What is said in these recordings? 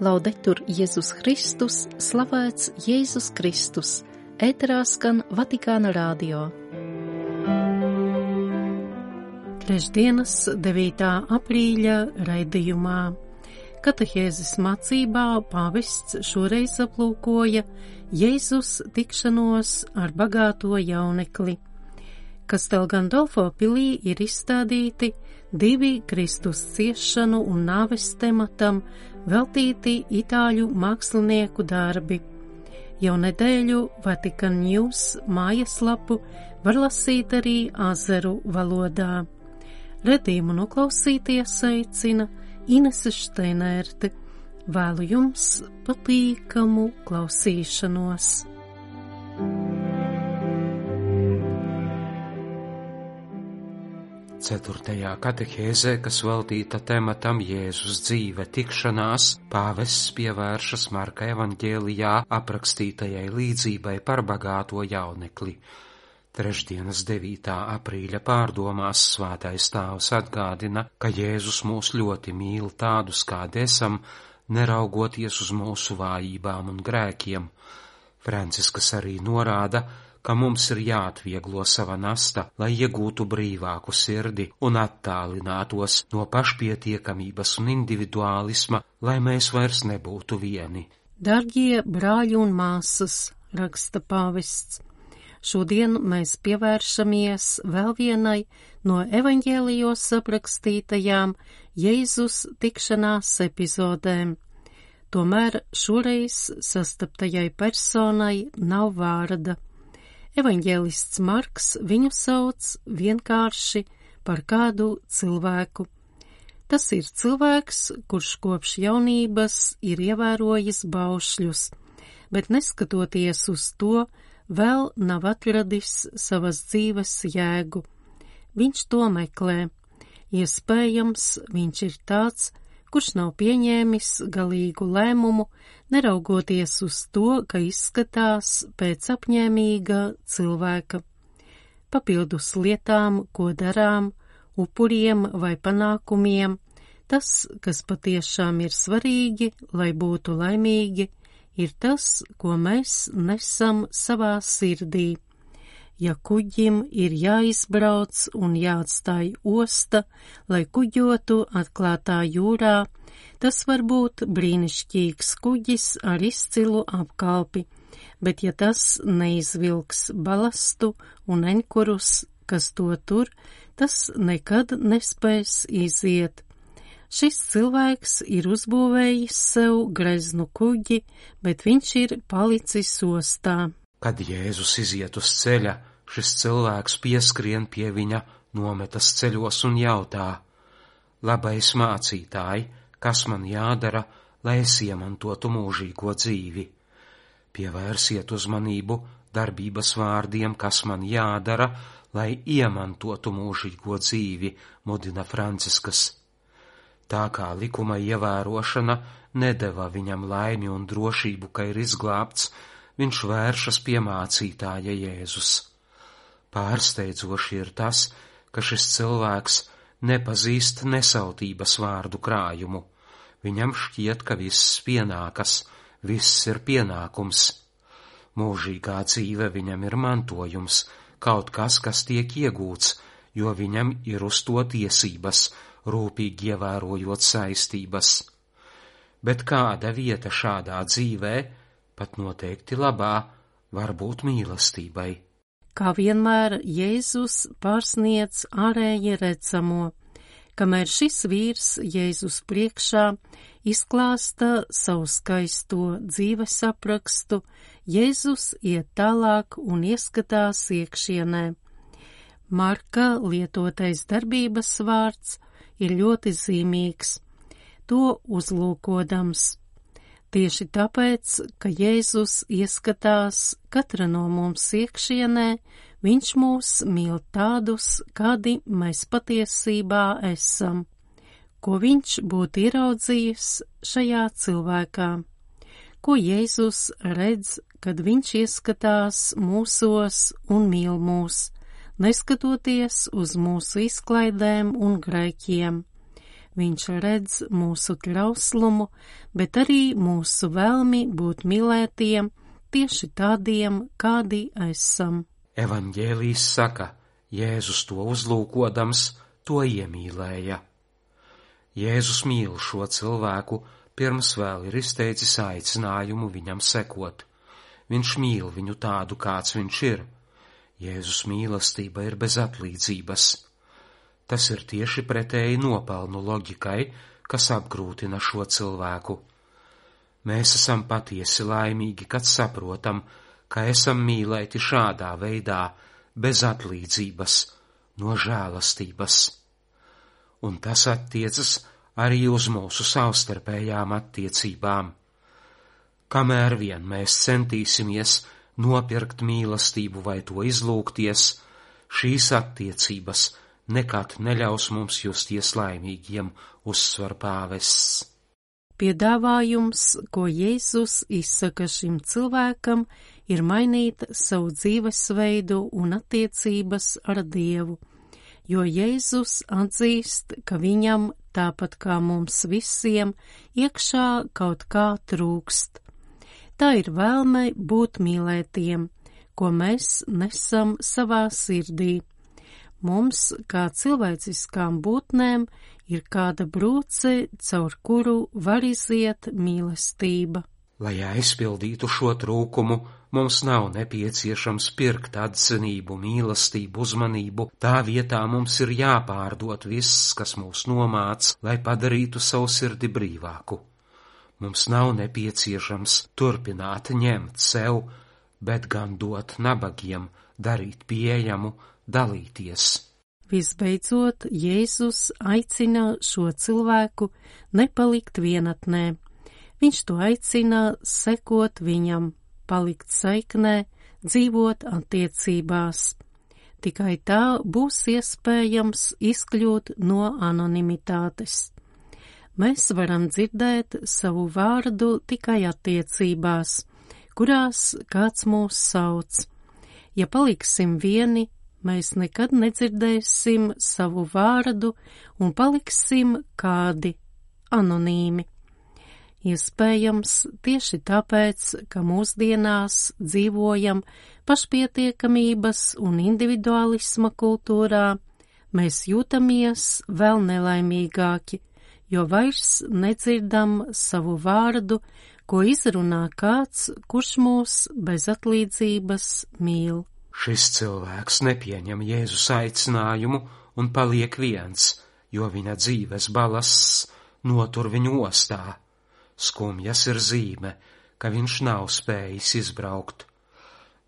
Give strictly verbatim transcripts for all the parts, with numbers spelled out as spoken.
Laudetur Jēzus Kristus, slavēts Jēzus Kristus, ēterā skan Vatikāna radio. Trešdienas devītā aprīļa raidījumā. Katehēzes mācībā pāvests šoreiz aplūkoja Jēzus tikšanos ar bagāto jaunekli. Kastel Gandolfo pilī ir izstādīti divi Kristus ciešanu un nāves tematam veltīti itāļu mākslinieku darbi. Jau nedēļu Vatikan News mājaslapu var lasīt arī azeru valodā. Redījumu noklausīties aicina Inese Šteinerte. Vēlu jums patīkamu klausīšanos. Ceturtajā katehēzē, kas veltīta tematam Jēzus dzīve tikšanās, pāvests pievēršas Marka evaņģēlijā aprakstītajai līdzībai par bagāto jaunekli. Trešdienas devītā aprīļa pārdomās Svētais Tēvs atgādina, ka Jēzus mūs ļoti mīl tādus, kādi esam, neraugoties uz mūsu vājībām un grēkiem. Francisks arī norāda, ka mums ir jāatvieglo sava nasta, lai iegūtu brīvāku sirdi un attālinātos no pašpietiekamības un individuālisma, lai mēs vairs nebūtu vieni. Dargie brāļi un māsas, raksta pāvests, šodien mēs pievēršamies vēl vienai no evaņģēlijos aprakstītajām Jēzus tikšanās epizodēm. Tomēr šoreiz sastaptajai personai nav vārda. Evaņģēlists Marks viņu sauc vienkārši par kādu cilvēku. Tas ir cilvēks, kurš kopš jaunības ir ievērojis baušļus, bet neskatoties uz to, vēl nav atradis savas dzīves jēgu. Viņš to meklē. Iespējams, viņš ir tāds, kurš nav pieņēmis galīgu lēmumu, neraugoties uz to, ka izskatās pēc apņēmīga cilvēka. Papildus lietām, ko darām, upuriem vai panākumiem, tas, kas patiešām ir svarīgi, lai būtu laimīgi, ir tas, ko mēs nesam savā sirdī. Ja kuģim ir jāizbrauc un jāatstāj osta, lai kuģotu atklātā jūrā, tas var būt brīnišķīgs kuģis ar izcilu apkalpi, bet ja tas neizvilks balastu un enkurus, kas to tur, tas nekad nespēs iziet. Šis cilvēks ir uzbūvējis sev greznu kuģi, bet viņš ir palicis ostā. Kad Jēzus iziet uz ceļa, šis cilvēks pieskrien pie viņa, nometas ceļos un jautā: Labais mācītāji, kas man jādara, lai es iemantotu mūžīgo dzīvi? Pievērsiet uzmanību darbības vārdiem, kas man jādara, lai iemantotu mūžīgo dzīvi, mudina Francisks. Tā kā likuma ievērošana nedeva viņam laimi un drošību, ka ir izglābts, viņš vēršas pie mācītāja Jēzus. Pārsteidzoši ir tas, ka šis cilvēks nepazīst nesautības vārdu krājumu. Viņam šķiet, ka viss pienākas, viss ir pienākums. Mūžīgā dzīve viņam ir mantojums, kaut kas, kas tiek iegūts, jo viņam ir uz to tiesības, rūpīgi ievērojot saistības. Bet kāda vieta šādā dzīvē, pat noteikti labā, var būt mīlestībai? Kā vienmēr Jēzus pārsniedz ārēji redzamo, kamēr šis vīrs Jēzus priekšā izklāsta savu skaisto dzīves aprakstu, Jēzus iet tālāk un ieskatās iekšienē. Marka lietotais darbības vārds ir ļoti zīmīgs, to uzlūkodams. Tieši tāpēc, ka Jēzus ieskatās katra no mums iekšienē, viņš mūs mīl tādus, kādi mēs patiesībā esam, ko viņš būtu ieraudzījis šajā cilvēkā, ko Jēzus redz, kad viņš ieskatās mūsos un mīl mūs, neskatoties uz mūsu izklaidēm un grēkiem. Viņš redz mūsu trauslumu, bet arī mūsu vēlmi būt mīlētiem, tieši tādiem, kādi esam. Evaņģēlijs saka, Jēzus to uzlūkodams, to iemīlēja. Jēzus mīl šo cilvēku, pirms vēl ir izteicis aicinājumu viņam sekot. Viņš mīl viņu tādu, kāds viņš ir. Jēzus mīlestība ir bez atlīdzības. Tas ir tieši pretēji nopelnu loģikai, kas apgrūtina šo cilvēku. Mēs esam patiesi laimīgi, kad saprotam, ka esam mīlēti šādā veidā, bez atlīdzības, no žēlastības. Un tas attiecas arī uz mūsu savstarpējām attiecībām. Kamēr vien mēs centīsimies nopirkt mīlestību vai to izlūgties, šīs attiecības nekad neļaus mums justies laimīgiem, uzsver pāvests. Piedāvājums, ko Jēzus izsaka šim cilvēkam, ir mainīt savu dzīvesveidu un attiecības ar Dievu, jo Jēzus atzīst, ka viņam, tāpat kā mums visiem, iekšā kaut kā trūkst. Tā ir vēlme būt mīlētiem, ko mēs nesam savā sirdī. Mums, kā cilvēciskām būtnēm, ir kāda brūce, caur kuru var iziet mīlestība. Lai aizpildītu šo trūkumu, mums nav nepieciešams pirkt atzinību, mīlestību, uzmanību. Tā vietā mums ir jāpārdod viss, kas mūs nomāc, lai padarītu savu sirdi brīvāku. Mums nav nepieciešams turpināt ņemt sev, bet gan dot nabagiem, darīt pieejamu, dalīties. Visbeidzot, Jēzus aicina šo cilvēku nepalikt vienatnē. Viņš to aicina sekot viņam, palikt saiknē, dzīvot attiecībās. Tikai tā būs iespējams izkļūt no anonimitātes. Mēs varam dzirdēt savu vārdu tikai attiecībās, kurās kāds mūs sauc. Ja paliksim vieni, mēs nekad nedzirdēsim savu vārdu un paliksim kādi anonīmi. Iespējams, tieši tāpēc, ka mūsdienās dzīvojam pašpietiekamības un individualisma kultūrā, mēs jūtamies vēl nelaimīgāki, jo vairs nedzirdam savu vārdu, ko izrunā kāds, kurš mūs bez atlīdzības mīl. Šis cilvēks nepieņem Jēzus aicinājumu un paliek viens, jo viņa dzīves balasts notur viņu ostā. Skumjas ir zīme, ka viņš nav spējis izbraukt.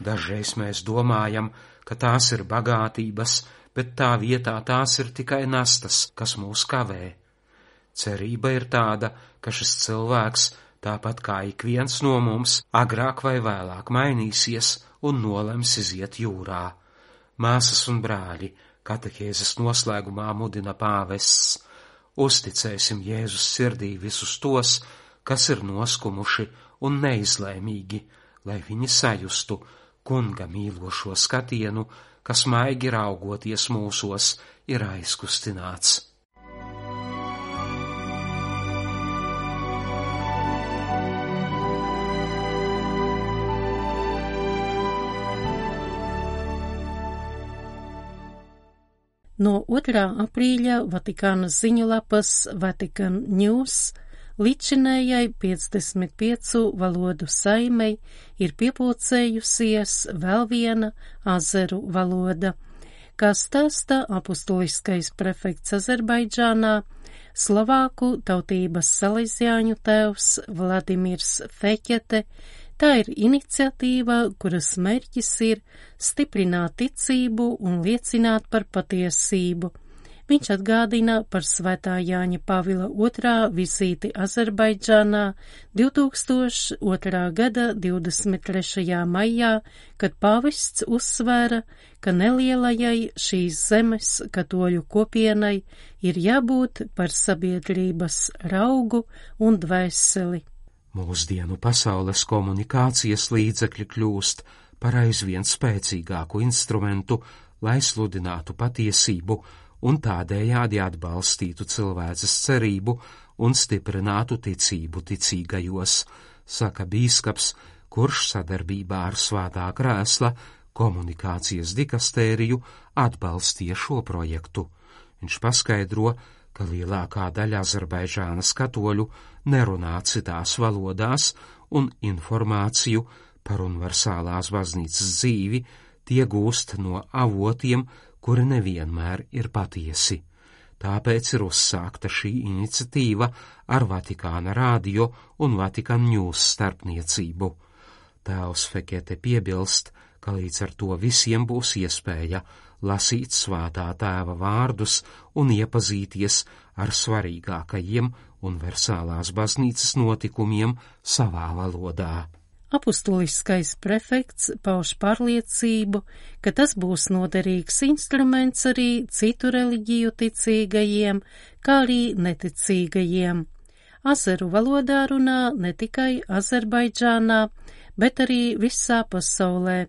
Dažreiz mēs domājam, ka tās ir bagātības, bet tā vietā tās ir tikai nastas, kas mūs kavē. Cerība ir tāda, ka šis cilvēks, tāpat kā ik viens no mums, agrāk vai vēlāk mainīsies un nolems iziet jūrā. Māsas un brāļi, katehēzes noslēgumā mudina pāvests. Uzticēsim Jēzus sirdī visus tos, kas ir noskumuši un neizlēmīgi, lai viņi sajustu kunga mīlošo skatienu, kas maigi raugoties mūsos ir aizkustināts. No otrā aprīļa Vatikāna ziņulapas Vatican News līdzinējai piecdesmit piecu valodu saimei ir piepulcējusies vēl viena azeru valoda. Kā stāsta apustuliskais prefekts Azerbaidžānā, slovāku tautības salīzjāņu tēvs Vladimirs Feķete, tā ir iniciatīva, kuras mērķis ir stiprināt ticību un liecināt par patiesību. Viņš atgādina par Svētā Jāņa Pāvila otrā vizīti Azerbaidžānā divtūkstoš otrā gada divdesmit trešajā maijā, kad pāvests uzsvēra, ka nelielajai šīs zemes katoļu kopienai ir jābūt par sabiedrības raugu un dvēseli. Mūsdienu pasaules komunikācijas līdzekļi kļūst par aizvien spēcīgāku instrumentu, lai sludinātu patiesību un tādējādi atbalstītu cilvēces cerību un stiprinātu ticību ticīgajos, saka bīskaps, kurš sadarbībā ar Svētā Krēsla komunikācijas dikastēriju atbalstīja šo projektu. Viņš paskaidro, ka lielākā daļa Azerbaidžānas katoļu nerunā citās valodās un informāciju par universālās baznīcas dzīvi tie gūst no avotiem, kuri nevienmēr ir patiesi. Tāpēc ir uzsākta šī iniciatīva ar Vatikāna radio un Vatikan News starpniecību. Tēvs Fekete piebilst, ka līdz ar to visiem būs iespēja lasīt Svētā Tēva vārdus un iepazīties ar svarīgākajiem universālās baznīcas notikumiem savā valodā. Apustuliskais prefekts pauž pārliecību, ka tas būs noderīgs instruments arī citu reliģiju ticīgajiem, kā arī neticīgajiem. Azeru valodā runā ne tikai Azerbaidžānā, bet arī visā pasaulē,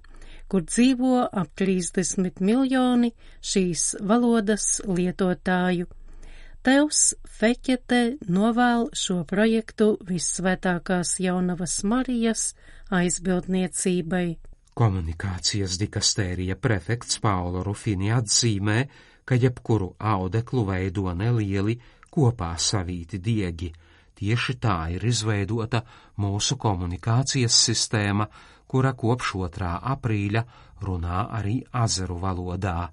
kur dzīvo ap trīsdesmit miljoni šīs valodas lietotāju. Tevs Fekete novēl šo projektu Vissvētākās Jaunavas Marijas aizbildniecībai. Komunikācijas dikastērija prefekts Paulo Rufini atzīmē, ka jebkuru audeklu veido nelieli kopā savīti diegi. Tieši tā ir izveidota mūsu komunikācijas sistēma, kura kopš otrā aprīļa runā arī azeru valodā.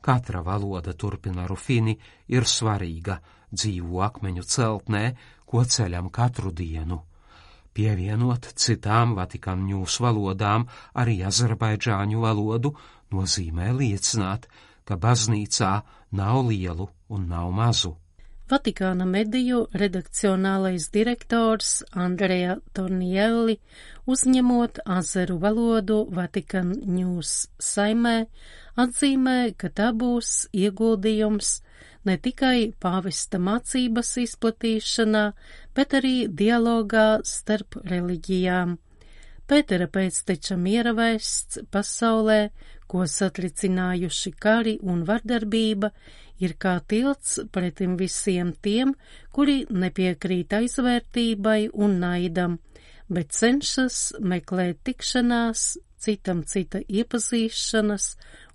Katra valoda, turpina Rufini, ir svarīga dzīvo akmeņu celtnē, ko ceļam katru dienu. Pievienot citām Vatikan News valodām arī azerbaidžāņu valodu nozīmē liecināt, ka baznīcā nav lielu un nav mazu. Vatikāna mediju redakcionālais direktors Andrea Tornielli, uzņemot azeru valodu Vatikan News saimē, atzīmē, ka tā būs ieguldījums ne tikai pāvesta mācības izplatīšanā, bet arī dialogā starp reliģijām. Pētera pēcteča miera vēsts pasaulē, ko satricinājuši kari un vardarbība, ir kā tilts pretim visiem tiem, kuri nepiekrīt aizvērtībai un naidam, bet cenšas meklēt tikšanās, citam cita iepazīšanas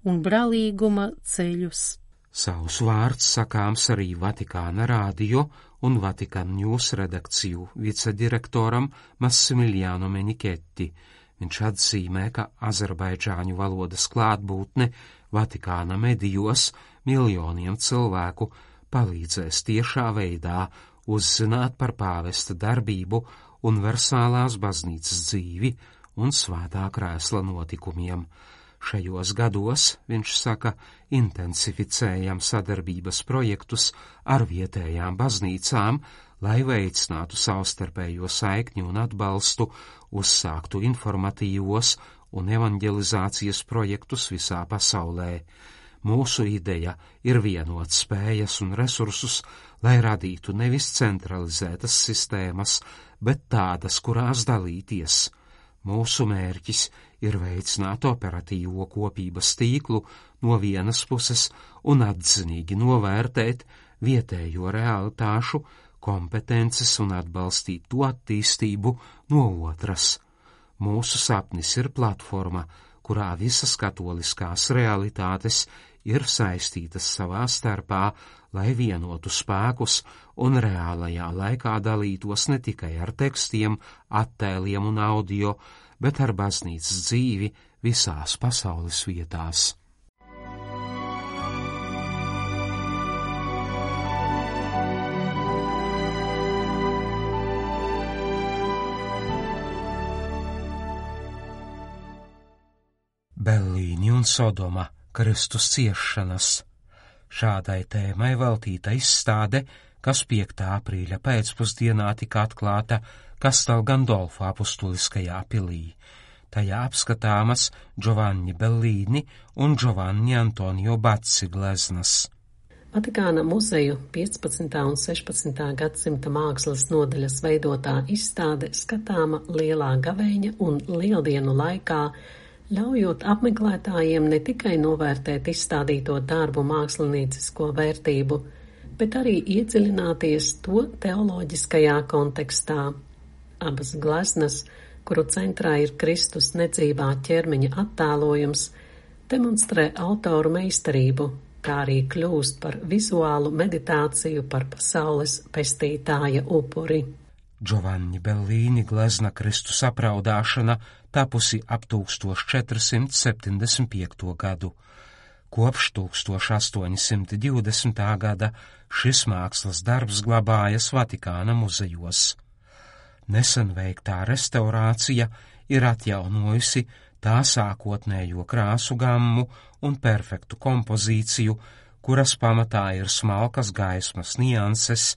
un brālīguma ceļus. Savus vārds sakāms arī Vatikāna radio un Vatikan News redakciju vicedirektoram Massimiliano Menichetti. Viņš atzīmē, ka azerbaidžāņu valodas klātbūtne Vatikāna medijos miljoniem cilvēku palīdzēs tiešā veidā uzzināt par pāvesta darbību, universālās baznīcas dzīvi un Svētā Krēsla notikumiem. Šajos gados, viņš saka, intensificējam sadarbības projektus ar vietējām baznīcām, lai veicinātu savstarpējo saikņu un atbalstu, uzsāktu informatīvos un evanģelizācijas projektus visā pasaulē. Mūsu ideja ir vienot spējas un resursus, lai radītu nevis centralizētas sistēmas, bet tādas, kurās dalīties. Mūsu mērķis ir veicināt operatīvo kopības tīklu no vienas puses un atzinīgi novērtēt vietējo realitāšu, kompetences un atbalstīt to attīstību no otras. Mūsu sapnis ir platforma, kurā visas katoliskās realitātes ir saistītas savā starpā, lai vienotu spēkus un reālajā laikā dalītos ne tikai ar tekstiem, attēliem un audio, bet ar baznīcas dzīvi visās pasaules vietās. Bellīni un Sodoma – Kristus ciešanas. Šādai tēmai veltīta izstāde, kas piektā aprīļa pēcpusdienā tika atklāta Castel Gandolfo apustuliskajā pilī. Tajā apskatāmas Giovanni Bellīni un Giovanni Antonio Bazzi gleznas. Vatikāna muzeju piecpadsmitā un sešpadsmitā gadsimta mākslas nodaļas veidotā izstāde skatāma Lielā gavēņa un Lieldienu laikā ļaujot apmeklētājiem ne tikai novērtēt izstādīto darbu māksliniecisko vērtību, bet arī iedziļināties to teoloģiskajā kontekstā. Abas gleznas, kuru centrā ir Kristus nedzīvā ķermeņa attēlojums, demonstrē autoru meistarību, kā arī kļūst par vizuālu meditāciju par pasaules pestītāja upuri. Giovanni Bellini glezna Kristus apraudāšana tapusi ap tūkstoš četrsimt septiņdesmit piekto gadu. Kopš tūkstoš astoņsimt divdesmitā gada šis mākslas darbs glabājas Vatikāna muzejos. Nesen veiktā restaurācija ir atjaunojusi tā sākotnējo krāsu gammu un perfektu kompozīciju, kuras pamatā ir smalkas gaismas nianses.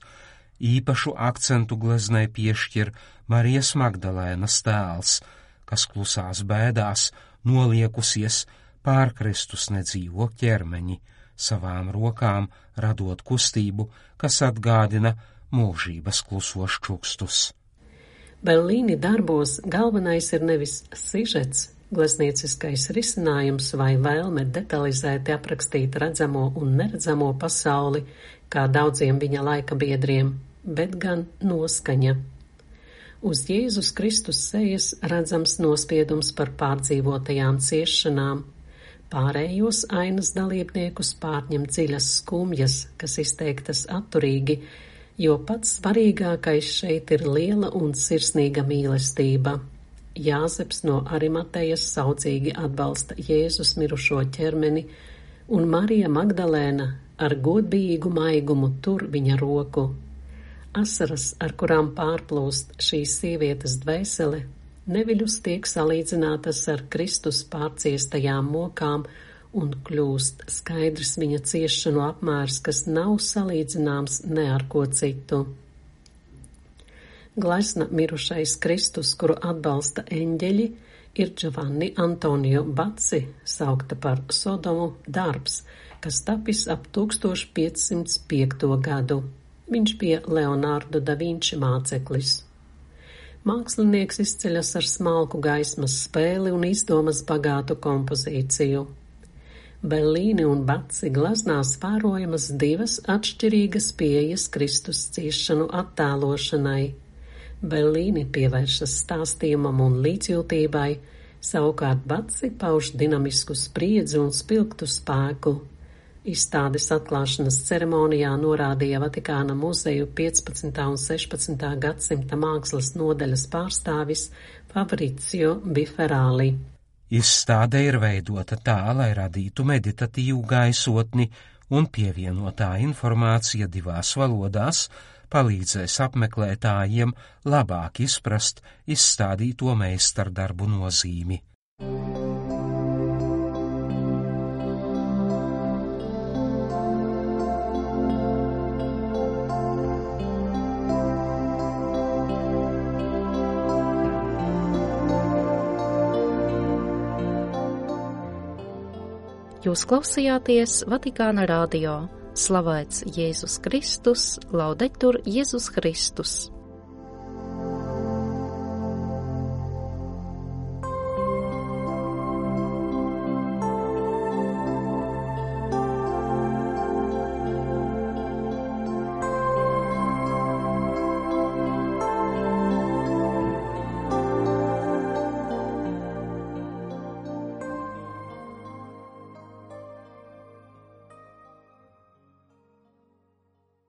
Īpašu akcentu gleznai piešķir Marijas Magdalēnas tēls, kas klusās bēdās noliekusies pār Kristus nedzīvo ķermeņi, savām rokām radot kustību, kas atgādina mūžības klusos čukstus. Bellini darbos galvenais ir nevis sižets, gleznieciskais risinājums vai vēlme detalizēti aprakstīt redzamo un neredzamo pasauli, kā daudziem viņa laika biedriem, bet gan noskaņa. Uz Jēzus Kristus sejas redzams nospiedums par pārdzīvotajām ciešanām. Pārējos ainas dalībniekus pārņem dziļas skumjas, kas izteiktas atturīgi, jo pats svarīgākais šeit ir liela un sirsnīga mīlestība. Jāzeps no Arimatejas saudzīgi atbalsta Jēzus mirušo ķermeni, un Marija Magdalēna ar godbijīgu maigumu tur viņa roku. Asaras, ar kurām pārplūst šīs sievietes dvēsele, neviļus tiek salīdzinātas ar Kristus pārciestajām mokām un kļūst skaidrs viņa ciešanu apmērs, kas nav salīdzināms ne ar ko citu. Glezna mirušais Kristus, kuru atbalsta eņģeļi, ir Giovanni Antonio Bacci, saukta par Sodomu darbs, kas tapis ap tūkstoš piecsimt piekto gadu. Viņš bija Leonardo da Vinci māceklis. Mākslinieks izceļas ar smalku gaismas spēli un izdomas bagātu kompozīciju. Bellini un Bacci gleznās vērojamas divas atšķirīgas pieejas Kristus ciešanu attēlošanai. Bellini pievēršas stāstījumam un līdzjūtībai, savukārt Bacci pauž dinamisku spriedzi un spilgtu spēku. Izstādes atklāšanas ceremonijā norādīja Vatikāna muzeju piecpadsmitā un sešpadsmitā gadsimta mākslas nodaļas pārstāvis Fabrizio Biferāli. Izstāde ir veidota tā, lai radītu meditatīvu gaisotni, un pievienotā informācija divās valodās palīdzēs apmeklētājiem labāk izprast izstādīto meistardarbu nozīmi. Jūs klausījāties Vatikāna radio. Slavēts Jēzus Kristus, laudetur Jēzus Kristus.